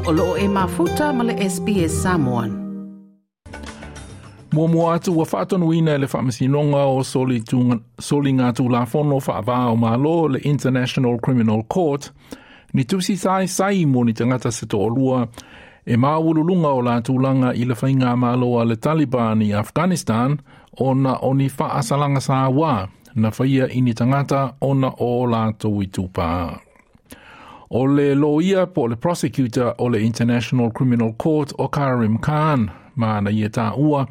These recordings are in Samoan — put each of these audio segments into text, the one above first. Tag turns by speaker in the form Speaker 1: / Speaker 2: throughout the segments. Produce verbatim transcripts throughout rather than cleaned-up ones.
Speaker 1: O loo e mafuta ma le S B S Samoan.
Speaker 2: Muamua atu ua faatonuina e le Faamasinoga o Soligatulafono Faava o Malo, le International Criminal Court, ni tusi saisai mo ni tagata se toalua e maualuluga o la tulaga i le faiga malo a le Taliban i Afghanistan ona o ni faasalaga sauā na faia i ni tagata ona o latou itupa. O le loia po le prosecutor o le International Criminal Court o Karim Khan, ma na ia taua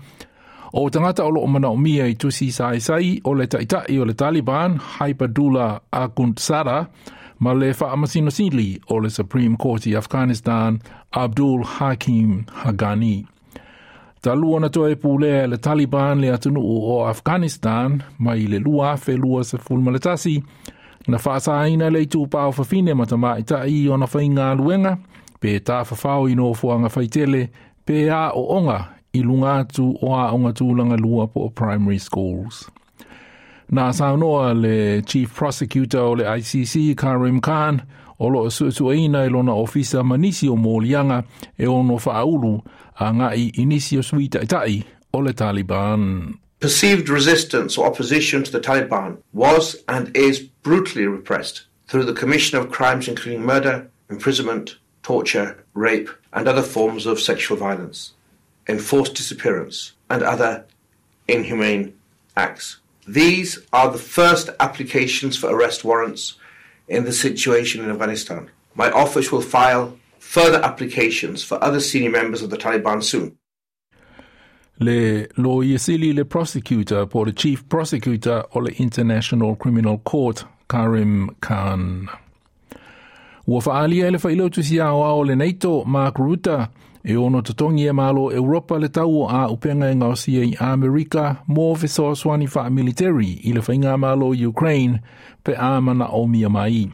Speaker 2: o tagata o loo manaomia i tusi saisai o le taitai o le Taliban Haibatullah Akhundzada ma le Faamasino Sili o le Supreme Court i Afghanistan Abdul Hakim Haqqani. Talu ona toe pulea le Taliban le atunuu o Afghanistan mai le lua afe lua sefulu ma le tasi, na faasaina le itupa o fafine ma tamaitai ona faigaluega pe tafafao i nofoaga faitele pe aooga i luga atu o aoga tulaga lua po o primary schools. Na saunoa le Chief Prosecutor o le I C C Karim Khan o loo suesueina e lona ofisa ma nisi o moliaga e ono faaulu agai i nisi o sui taitai o le Taliban.
Speaker 3: Perceived resistance or opposition to the Taliban was and is brutally repressed through the commission of crimes including murder, imprisonment, torture, rape, and other forms of sexual violence, enforced disappearance, and other inhumane acts. These are the first applications for arrest warrants in the situation in Afghanistan. My office will file further applications for other senior members of the Taliban soon.
Speaker 2: Le loia sili, le prosecutor po le chief prosecutor o le International Criminal Court Karim Khan. Ua faaalia e le Failautusi Aoao o le NATO Mark Rutte e ono totogi e malo Europa le tau o auupega e gaosia i Amerika mo fesoasoani faamiliteri i le faiga malo Ukraine pe a manaomia mai.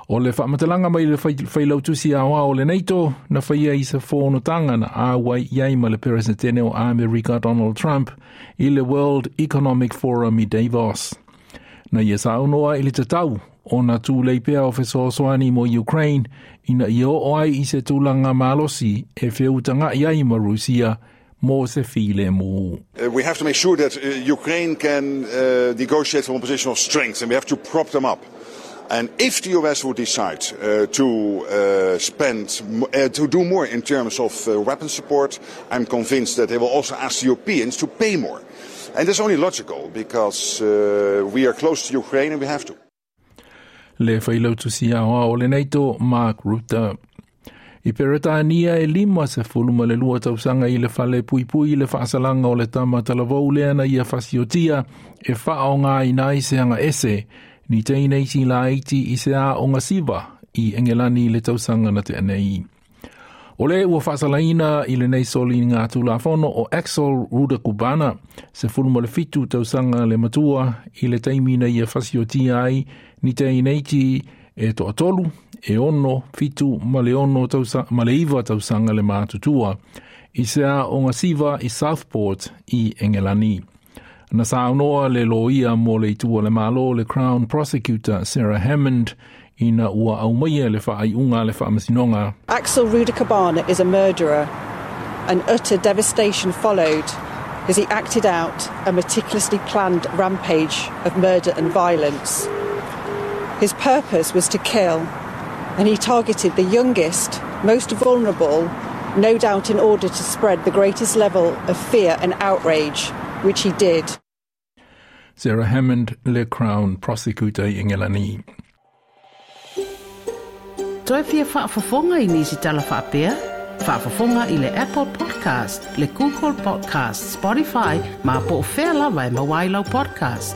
Speaker 2: O le faamatalaga mai le Failautusi Aoao o le NATO na faia i se fonotaga na auai i ai ma le Peresetene o Amerika Donald Trump i le World Economic Forum i Davos. Na ia saunoa i le tatau ona tulei pea o fesoasoani mo Ukraine ina ia oo ai i se tulaga malosi e feutaga'i ai ma Rusia mo se filemu.
Speaker 4: Uh, we have to make sure that uh, Ukraine can uh, negotiate from a position of strength, and we have to prop them up. And if the U S would decide uh, to uh, spend, uh, to do more in terms of uh, weapon support, I'm convinced that they will also ask the Europeans to pay more. And that's only logical because uh, we are close to Ukraine and we have to.
Speaker 2: Le Failautusi Aoao o le NATO Mark Rutte. I Peretania e lima sefulu ma le lua tausaga i le fale puipui i le faasalaga o le tama talavou lea na ia fasiotia e faaaogaina ai se agaese ni teineiti laiti i se aoga siva i Engelani le tausaga na tea nei. O le ua faasalaina i lenei soligatulafono o Axel Rudakubana, sefulu ma le fitu tausaga le matua i le taimi na ia fasiotia ai ni teineiti e toatolu, e ono, fitu ma le ono tausa, ma le iva tausaga le matutua i se aoga siva i Southport i Engelani. Na saunoa le loia mo le itu o le malo, le Crown Prosecutor Sarah Hammond, ina ua aumaia le faaiuga le Faamasinoga.
Speaker 5: Axel Rudakubana is a murderer, and utter devastation followed as he acted out a meticulously planned rampage of murder and violence. His purpose was to kill, and he targeted the youngest, most vulnerable, no doubt in order to spread the greatest level of fear and outrage, which he did.
Speaker 2: Sarah Hammond, le Crown Prosecutor i Engelani.
Speaker 1: Toe fia faafofoga i nisi tala faapea? Faafofoga i le Apple Podcast, le Google Podcast, Spotify, ma po o fea lava e maua ai lau podcast.